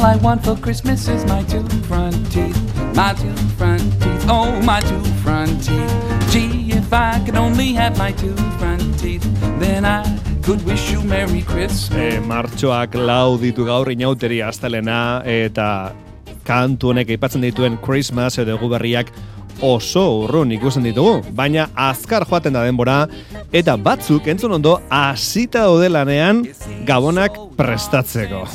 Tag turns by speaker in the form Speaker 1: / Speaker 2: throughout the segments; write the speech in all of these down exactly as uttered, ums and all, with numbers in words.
Speaker 1: I want for Christmas is my two front teeth, my two front teeth, oh my two front teeth. Gee, if I could only have my two front teeth, then I could wish you Merry Christmas.
Speaker 2: E, martxoak lau ditu gaur inauteri astelena eta kantu honek aipatzen dituen Christmas edo egu berriak oso urrun ikusten ditugu, baina azkar joaten da denbora eta batzuk entzun ondo hasita daude lanean gabonak prestatzeko.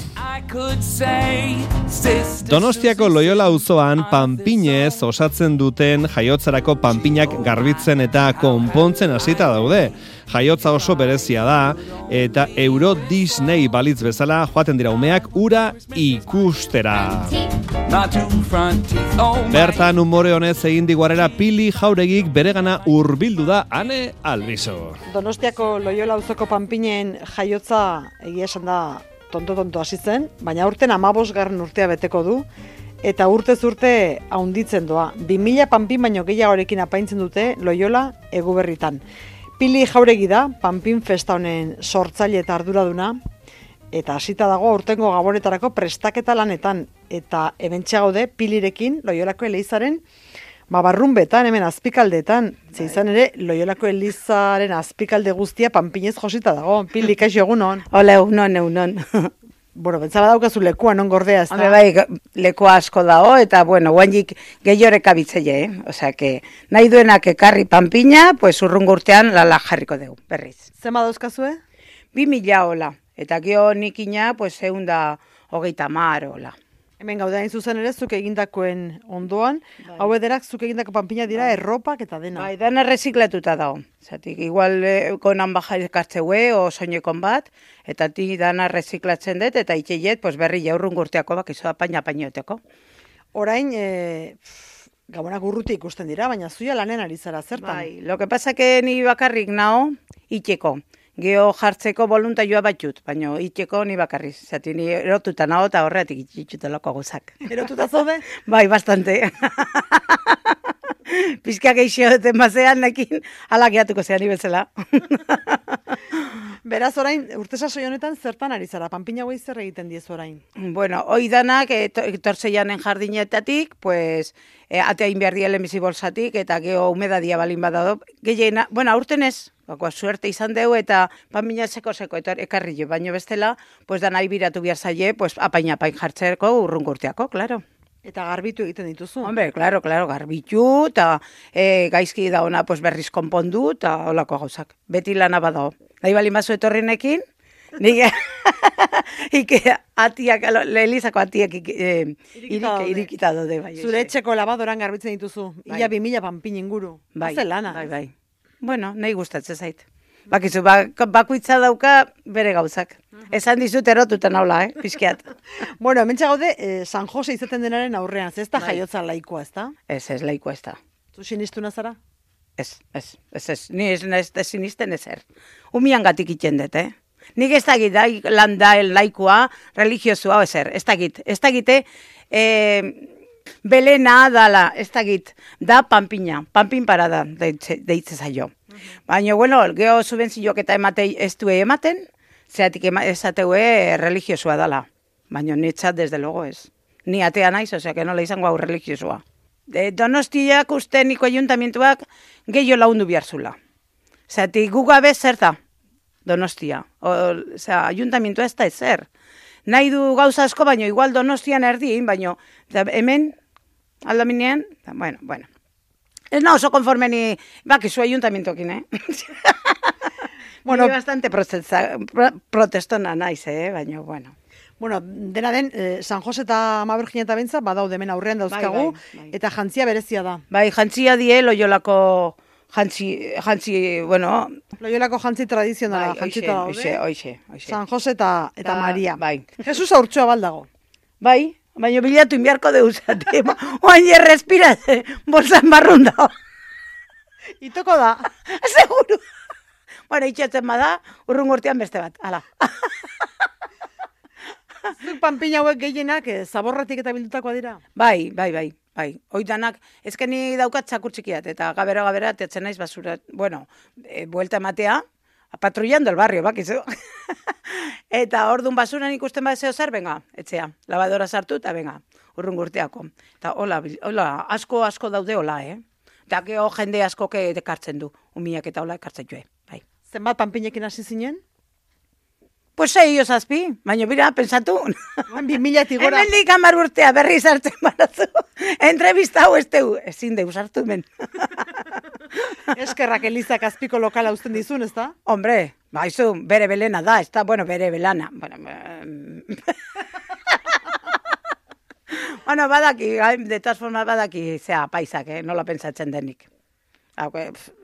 Speaker 2: Donostiako Loyola auzoan panpinez osatzen duten jaiotzarako panpinak garbitzen eta konpontzen hasita daude. Jaiotza oso berezia da eta Euro Disney balitz bezala joaten dira umeak ura ikustera. Bertan umore honez egin diguarera Pili Jauregik beregana hurbildu da Ane Albizo.
Speaker 3: Donostiako Loyola auzoko panpinen jaiotza egia esan da tonto-tonto hasi zen, baina urten hamabosgarren urtea beteko du, eta urtez urte haunditzen doa. bi mila panpin baino gehiagorekin apaintzen dute Loyola Eguberritan. Pili Jauregi da, panpin festa honen sortzaile eta arduraduna, eta hasita dago urtengo gabonetarako prestaketa lanetan, eta hementxe gaude Pilirekin Loyolako Elizaren Ba, barrunbetan, hemen azpikaldetan, ze izan ere, Loyolako Elizaren azpikalde guztia panpinez josita dago. Pili, kaixo egunon.
Speaker 4: Hola, egunon, egunon.
Speaker 3: Bueno, bentsala daukazu lekua, non gordea, ez da?
Speaker 4: Hombre, bai, lekua asko dago, eta, bueno, guanjik gehiorek abitzeie, eh? Osea, que nahi duenak ekarri panpina, pues urrungo urtean lala jarriko dugu, berriz.
Speaker 3: Zema dauzkazue?
Speaker 4: Bi mila hola, eta gio nikina, pues, eunda hogeita mar hola.
Speaker 3: Hemen gaude hain zuzen ere, zuk egindakoen ondoan, bai. Hau ederak zuk egindako panpina dira bai. Erropak eta dena.
Speaker 4: Bai, dena reziklatuta dago. Zatik, igual eh, konan baja ekartzeue, o soinekon bat, eta ti dana reziklatzen dut, eta itxeiet, pues berri jaurrun gurteako bak, izo da paina painoteko.
Speaker 3: Orain, e, gabonak urruti ikusten dira, baina zuia lanen ari zara, zertan?
Speaker 4: Bai, lo que pasa que ni bakarrik nao, itxeko. Geo jartzeko voluntarioa batut, baina itxeko ni bakarriz. Zati ni erotuta nago eta horretik itxutelako gozak.
Speaker 3: Erotuta zaude?
Speaker 4: Bai, bastante. Pizka geixo duten bazean nekin, ala geatuko zean ibezela.
Speaker 3: Beraz orain, urte sasoi honetan zertan ari zara? Panpina hauei zer egiten diez orain?
Speaker 4: Bueno, hoi danak, etortzeianen jardinetatik, pues, e, ateain behar dielen bizi bolsatik, eta geho humedadia balin badado. Gehiena, bueno, aurten ez, bako, suerte izan deu, eta panpina seko-seko, eta ekarri jo, baino bestela, pues, da nahi biratu behar zaie, pues, apain-apain jartzeko urrungurteako, claro.
Speaker 3: Eta garbitu egiten dituzu?
Speaker 4: Hombre, claro, claro, garbitu, eta e, gaizki da ona pues, berriz konpondu, eta holako gauzak. Beti lana badao. Nahi bali mazu etorrinekin, nik ike atiak, Elizako atiak e, irikita dode. Bai,
Speaker 3: zure etxeko labadoran garbitzen dituzu, bai. Ia bi mila panpin inguru.
Speaker 4: Bai,
Speaker 3: Haze lana.
Speaker 4: Bai, bai. Bueno, nahi gustatzen zait. Bakizu, bak, bakuitza dauka bere gauzak. Esan dizut erotuta naula, eh, pizkiat.
Speaker 3: Bueno, hemen txagaude, eh, San Jose izaten denaren aurrean, ez da bai. Jaiotza laikoa, ez da?
Speaker 4: Ez, ez, laikoa ez da.
Speaker 3: Zu sinistuna zara?
Speaker 4: Ez, ez, ez, ez, ni ez, ez, ez sinisten ezer. Umian gatik itxendet, eh? Nik ez dakit, da, landa, laikoa, religiozua, ezer, ez dakit, ez dakite, eh, belena dala, ez dakit, da panpina, panpin parada, deitze zaio. Baina, bueno, geho subentzioak eta ematei ez du ematen, zeatik esateue religiosua dala. Baina nitzat, desde logo ez. Ni atea naiz, osea, que nola izango hau religiosua. De Donostiak uste niko ayuntamientuak gehiago laundu biharzula. Zeatik gugabe zer da Donostia. Osea, ayuntamientua ez da ezer. Nahi du gauza asko, baina igual Donostian erdien, baina hemen aldaminean, bueno, bueno. Ez na oso konforme ni, bakizu ayuntamientokin, eh? Bueno, bastante protestona naiz, eh? Baina, bueno.
Speaker 3: Bueno, dena den, eh, San Jose eta Mabergina eta Bentza, badaude hemen aurrean dauzkagu, bai, bai, bai. Eta jantzia berezia da.
Speaker 4: Bai, jantzia die, Loyolako jantzi, jantzi, bueno...
Speaker 3: Loyolako jantzi tradizionala, bai, jantzita daude.
Speaker 4: Oixe, oixe, oixe.
Speaker 3: San Jose eta, eta ta, Maria.
Speaker 4: Bai.
Speaker 3: Jesus aurtsua baldago.
Speaker 4: Bai, baina bilatu inbiarko deuzate. Oain errespira, bolsan barrun dago.
Speaker 3: Itoko da.
Speaker 4: Seguro. Bueno, itxatzen bada, urrungurtean beste bat, ala.
Speaker 3: Zuk panpina hauek gehienak eh, zaborratik eta bildutakoa dira?
Speaker 4: Bai, bai, bai. Bai, oitanak, ezkeni daukat txakur txikiat, eta gabera-gabera teatzen naiz basura, bueno, e, buelta ematea, patrullando el barrio, bakizu. Eta orduan basuran ikusten bat zeo zer, benga, etxea, lavadora sartu eta benga, urrun gurteako. Eta hola, hola, asko, asko daude hola, eh? Eta geho jende asko ekartzen du, umiak eta hola ekartzen joe, bai.
Speaker 3: Zenbat panpinekin hasi zinen?
Speaker 4: Pues sei zazpi, baina bira, pensatu.
Speaker 3: Bi milatik gora.
Speaker 4: Hemen dik hamar urtea berri sartzen barazu. Entrevista hau ez teu, ezin deus hartu men.
Speaker 3: Eskerrak Elizak azpiko lokala uzten dizun, ez da?
Speaker 4: Hombre, baizu, bere belena da, ez da, bueno, bere belana. Bueno, bueno badaki, de todas formas badaki, zea, paisak, eh? Nola pentsatzen denik. Hau,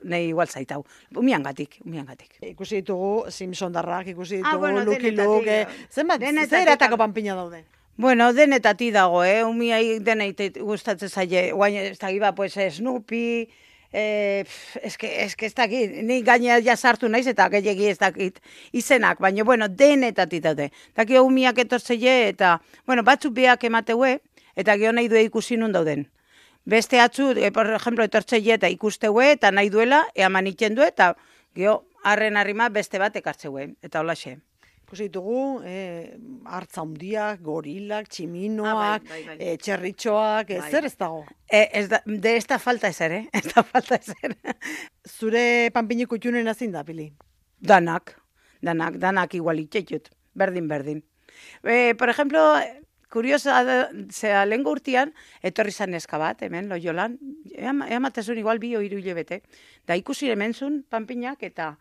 Speaker 4: nahi igual zaitau. Umiangatik, umiangatik.
Speaker 3: Ikusi ditugu Simpson darrak, ikusi ditugu
Speaker 4: Ah, bueno,
Speaker 3: Lucky
Speaker 4: denetatik,
Speaker 3: Luke.
Speaker 4: eh,
Speaker 3: Zenbat,
Speaker 4: denetatik,
Speaker 3: zer eratako panpina daude?
Speaker 4: Bueno, denetati dago, eh? Umiai deneit gustatzen zaie. Guain, ez da giba, pues, Snoopy, eh, es que, es que ez dakit, ni gaina ja sartu naiz eta gehiagi ez dakit izenak, baina, bueno, denetati daude. Daki umiak etortzeie eta, bueno, batzuk beak emateue, eta geho nahi du ikusi nun dauden. Beste atzu, e, por ejemplo, etortzeie eta ikusteue, eta nahi duela, eaman iten du, eta geho, harren harrima beste bat ekartzeue, eta holaxe.
Speaker 3: Ikusi ditugu, eh, hartza hundiak, gorilak, tximinoak,
Speaker 4: Ah, bai, bai, bai.
Speaker 3: eh, txerritxoak, eh,
Speaker 4: Bai.
Speaker 3: zer ez dago?
Speaker 4: E, ez da, de ez da falta ezer, eh? Ez da falta ezer.
Speaker 3: Zure panpinik utxunen azin da, Pili?
Speaker 4: Danak, danak, danak igual itxetxut, berdin, berdin. E, por ejemplo, kuriosa, da, zera, lehen urtean, etorri zan neska bat, hemen, Loiolan, eamatezun igual bi o hiru hilabete, da ikusi hementzun panpinak eta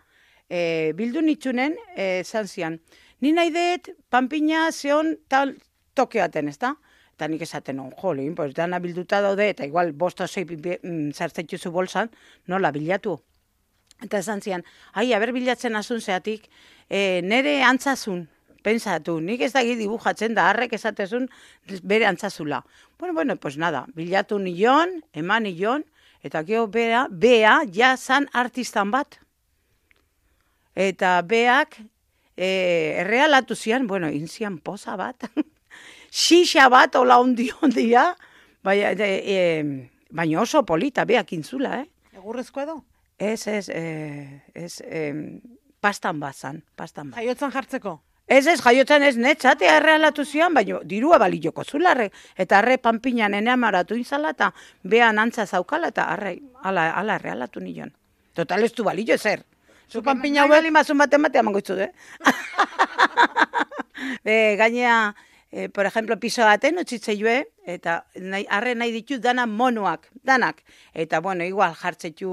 Speaker 4: e, bildu nitzunen e, zan zian. Ni nahi dut panpina zeon tal toke baten, ez da? Eta nik esaten hon, jolin, pues dana bilduta daude, eta igual bosto zei zartzetxuzu bolsan, nola bilatu. Eta esan zian, ai, haber bilatzen azun zeatik, e, nere antzazun, pensatu, nik ez dagi dibujatzen da, harrek esatezun bere antzazula. Bueno, bueno, pues nada, bilatu nion, eman nion, eta geho bea, bea, ja zan artistan bat. Eta beak, e, errealatu zian, bueno, inzian poza bat, xixa bat, ola ondi ondia, baina, e, baina oso polita, beak intzula, eh?
Speaker 3: Egurrezko edo?
Speaker 4: Ez, ez, eh, ez, eh, pastan bat zan, pastan bat.
Speaker 3: Jaiotzan jartzeko?
Speaker 4: Ez, ez, jaiotzen ez netxatea errealatu zian, baina dirua balioko zularre, eta arre panpinan ene amaratu inzala, eta behan antza zaukala, eta arre, ala, ala errealatu nion. Total ez du balio ezer.
Speaker 3: Zu panpina hauek...
Speaker 4: Gali mazun baten batean mangoitzu, eh? e, gainea, e, por ejemplo, piso baten utzitzei joe, eta nahi, arre nahi ditu dana monoak, danak. Eta, bueno, igual jartzetu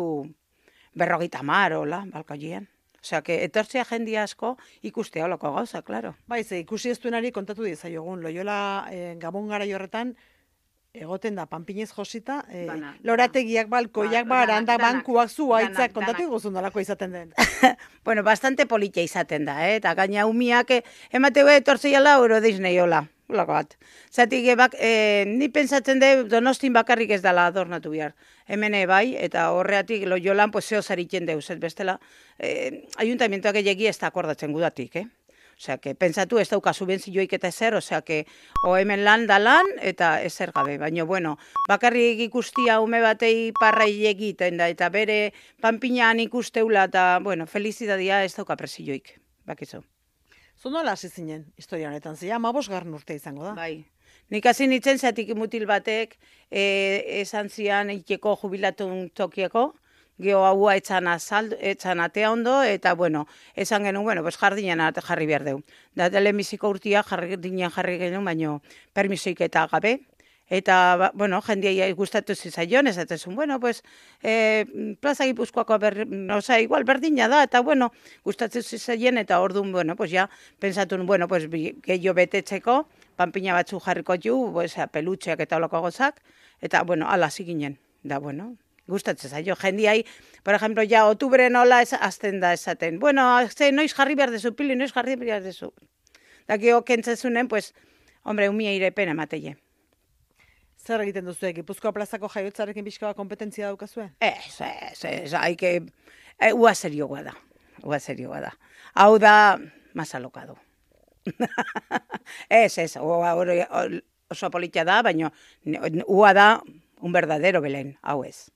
Speaker 4: berrogita mar, hola, balkoian. Osea, que etortzea jendia asko ikustea holako gauza, claro.
Speaker 3: Bai, ze ikusi ez duenari kontatu diezaiogun. Loiola eh, Gabon garai horretan egoten da panpinez josita, eh,
Speaker 4: Dana,
Speaker 3: lorategiak, balkoiak,
Speaker 4: Ba,
Speaker 3: barandak,
Speaker 4: danak,
Speaker 3: bankuak, zuaitzak,
Speaker 4: danak,
Speaker 3: kontatu
Speaker 4: danak.
Speaker 3: iguzun nolako izaten den.
Speaker 4: Bueno, bastante politia izaten da, eh? Eta gaina umiak eh, emateu etortzeiala Euro Disney hola. Ulako bat. Zatik, e, bak, e, ni pentsatzen de Donostin bakarrik ez dala adornatu behar. Hemen bai, eta horreatik Loiolan, pues, zeo zaritzen deuz, ez bestela. E, ayuntamientoak egegi ez da akordatzen gudatik, eh? Osea, que pentsatu ez dauka subentzioik eta ezer, osea, que o hemen lan da lan, eta ezer gabe. Baina, bueno, bakarrik ikustia ume batei parrai egiten da, eta bere panpinan ikusteula, eta, bueno, felizidadia ez dauka presioik, bakizu.
Speaker 3: Zu nola hasi zinen historia honetan, zia, amabosgarren urte izango da.
Speaker 4: Bai. Nik hasi nintzen zatik mutil batek e, esan zian ikeko jubilatun tokieko, geho haua etxan, azaldu, etxan atea ondo, eta bueno, esan genuen, bueno, pues jardinean jarri behar deu. Da telemiziko urtia jardinean jarri genuen, baino permisoik eta gabe. Eta, bueno, jendia gustatu zizaion, esatezun, bueno, pues, eh, plaza Gipuzkoako, ber, oza, igual berdina da, eta, bueno, gustatzen zizaien, eta orduan, bueno, pues, ja, pensatun, bueno, pues, gehiago betetzeko, panpina batzu jarriko ju, pues, pelutxeak eta holako gozak, eta, bueno, ala ziginen, da, bueno, gustatzen zaio, jendiai, por ejemplo, ja, otubre nola ez, azten da esaten, bueno, ze, noiz jarri behar dezu, Pili, noiz jarri behar dezu. Da, geho, kentzezunen, pues, hombre, umia irepen emateie.
Speaker 3: Zer egiten duzu, Gipuzkoa plazako jaiotzarekin pixka bat kompetentzia daukazue?
Speaker 4: Ez, ez, ez, haike, e, ua serioa da, ua serioa da. Hau da, más alokado. Ez, ez, ua, oso politia da, baina ua da un verdadero Belen, hau ez.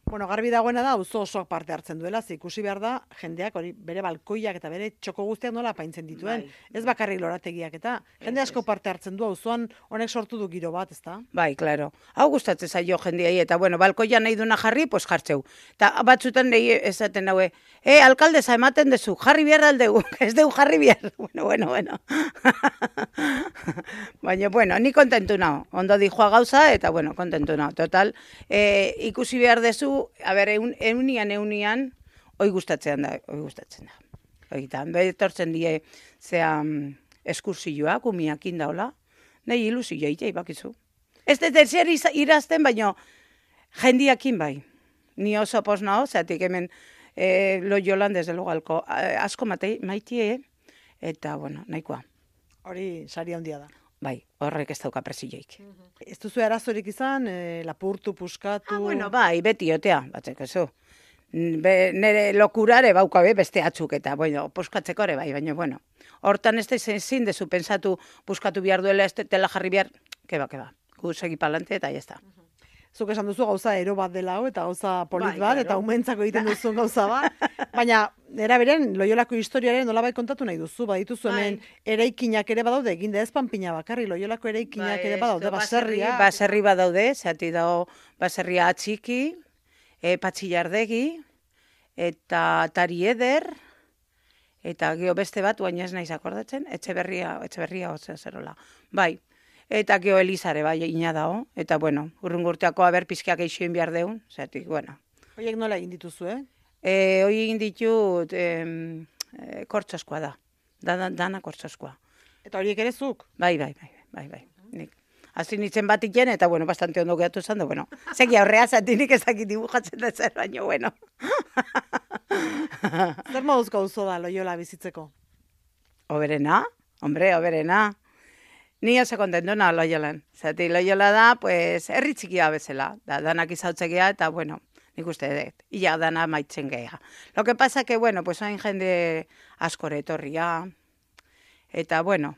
Speaker 3: Bueno, garbi dagoena da, auzo osoak parte hartzen duela, ze ikusi behar da, jendeak hori bere balkoiak eta bere txoko guztiak nola apaintzen dituen.
Speaker 4: Bai.
Speaker 3: Ez bakarrik lorategiak eta, jende asko parte hartzen du, auzoan honek sortu du giro bat, ezta?
Speaker 4: Bai, claro. Hau gustatzen zaio jendeai eta bueno, balkoian nahi duna jarri, pues jartzeu. Ta batzutan nahi esaten haue, eh, alkaldesa ematen dezu, jarri behar aldegu, ez deu jarri behar. Bueno, bueno, bueno. Baina, bueno, ni kontentu nao. Ondo dijoa gauza eta, bueno, kontentu nao. Total, eh, ikusi behar dezu, a ber, eun, eunian, eunian, hoi gustatzen da, hoi gustatzen da. Oitan, betortzen die, zea, eskursioak, umiakin daula, nahi ilusio itei bakizu. Ez dut zer irazten, baina jendiakin bai. Ni oso pos nao, zeatik hemen e, Loiolan desde lugalko asko matei, maitie, eta, bueno, nahikoa.
Speaker 3: Hori sari handia da.
Speaker 4: Bai, horrek ez dauka presioik.
Speaker 3: Ez duzu arazorik izan, e, lapurtu, puskatu...
Speaker 4: Ah, bueno, bai, beti otea, batzeko zu. Be, nere lokurare baukabe beste atzuk eta, bueno, puskatzeko ere bai, baina, bueno. Hortan ez da ezin dezu pensatu puskatu behar duela, ez dela jarri behar, keba, keba. Gu segi palante eta jazta.
Speaker 3: Zuk esan duzu gauza ero bat dela hau, eta gauza polit
Speaker 4: Bai,
Speaker 3: bat,
Speaker 4: claro.
Speaker 3: eta umentzako egiten duzun gauza bat. Baina, era beren, Loiolako historiaren nolabait kontatu nahi duzu, badituzu hemen eraikinak ere badaude, eginde ez panpina bakarri, Loiolako eraikinak ere badaude, baserria.
Speaker 4: Baserri badaude, zati dago baserria atxiki, e, patxillardegi, eta tari eder, eta geho beste bat, baina ez naiz akordatzen, etxeberria, etxeberria otzen zerola. Bai, eta geho Elizare bai ina dago, eta bueno, urrungurteako aber pizkiak eixoin behar deun, zeatik, bueno.
Speaker 3: Horiek nola egin dituzu, eh?
Speaker 4: E, hoi egin ditut em, e, kortzoskoa da, dana, dana kortzoskoa.
Speaker 3: Eta horiek ere zuk?
Speaker 4: Bai, bai, bai, bai, bai. Nik. Hasi nintzen bat iken, eta bueno, bastante ondo gehatu zan, da, bueno. Segi aurrea zatinik ezakit dibujatzen da zer, baina, bueno.
Speaker 3: Zer moduzko auzo da Loiola bizitzeko?
Speaker 4: Oberena, hombre, oberena. Ni oso kontentu na Loiolan. Zati, Loiola da, pues, herri txikia bezala. Da, danak izautzekea, eta, bueno, nik uste dut, ia dana maitzen geha. Lo que pasa que, bueno, pues, hain jende askore etorria, eta, bueno,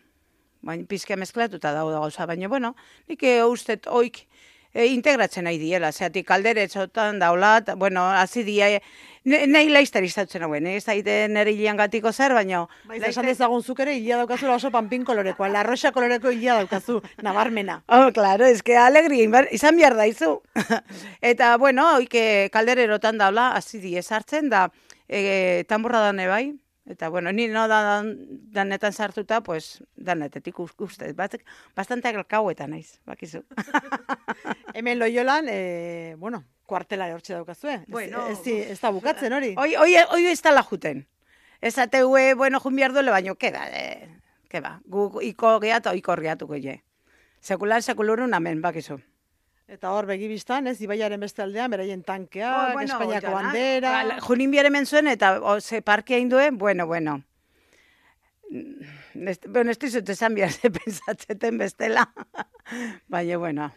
Speaker 4: bain pizke mezklatuta dago da gauza, baina, bueno, nik ustet oik e, integratzen nahi diela, zeatik kalderetzotan daula, bueno, hazi die, nahi laiztari izautzen hauen, ez da ite nire hilian gatiko zer, baina...
Speaker 3: Baiz, esan dezagun zuk ere hilia daukazula oso panpin kolorekoa, la roxa koloreko hilia daukazu, nabarmena.
Speaker 4: Oh, claro, es que alegria izan behar daizu. Eta, bueno, oike kaldererotan daula, hazi die sartzen, da, e, tamborra dane bai, eta, bueno, ni no da, dan, danetan sartuta, pues, danetetik uste, batzek, bastante alkauetan naiz, bakizu.
Speaker 3: Hemen Loiolan, e, bueno, kuartela hortxe daukazue.
Speaker 4: Bueno,
Speaker 3: ez, ez, ez da bukatzen hori.
Speaker 4: Hoi, hoi, hoi ez tala juten. Ez ateue, bueno, jun behar duele, baino, keba, eh, keba, gu iko gehat, oiko gehatuko je. Sekulan, sekulurun, amen, bakizu.
Speaker 3: Eta hor begibistan, ez, Ibaiaren beste aldean, beraien tankeak,
Speaker 4: Oh, bueno,
Speaker 3: Espainiako
Speaker 4: oiana.
Speaker 3: bandera...
Speaker 4: Ba, junin biare menzuen, eta o, ze parkia induen, bueno, bueno. Nest, bueno, ez dizut esan behar ze pensatzeten bestela. Baina, bueno.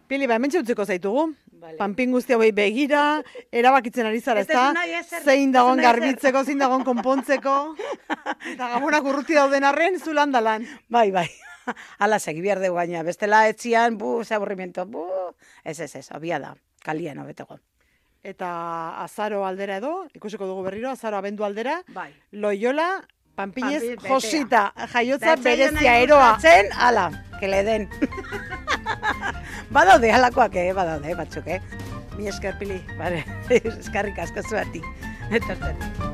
Speaker 3: Pili, ba, hementxe utziko zaitugu.
Speaker 4: Vale.
Speaker 3: Panpin guzti hauei begira, erabakitzen ari zara,
Speaker 4: Ez
Speaker 3: ezta?
Speaker 4: duzu nahi ezer,
Speaker 3: Zein
Speaker 4: ez
Speaker 3: dagon
Speaker 4: duzu nahi ezer.
Speaker 3: garbitzeko, zein dagon konpontzeko. Eta gabonak urruti dauden arren, zu landalan.
Speaker 4: Bai, bai. Ala segi behar dugu gaina. Bestela etzian, bu, ze aburrimiento, bu. Ez, ez, ez, obia da. Kalian hobeteko.
Speaker 3: Eta azaro aldera edo, ikusiko dugu berriro, azaro abendu aldera,
Speaker 4: Bai.
Speaker 3: Loiola, Panpinez,
Speaker 4: Panpin, betea.
Speaker 3: Josita, jaiotza
Speaker 4: Bertzaile
Speaker 3: berezia
Speaker 4: nahi
Speaker 3: eroa.
Speaker 4: gustatzen, ala, que le den. Badaude, alakoak, eh, badaude, batzuk, eh.
Speaker 3: Mi esker, Pili.
Speaker 4: Vale, eskarrik asko zuati. Etortzen.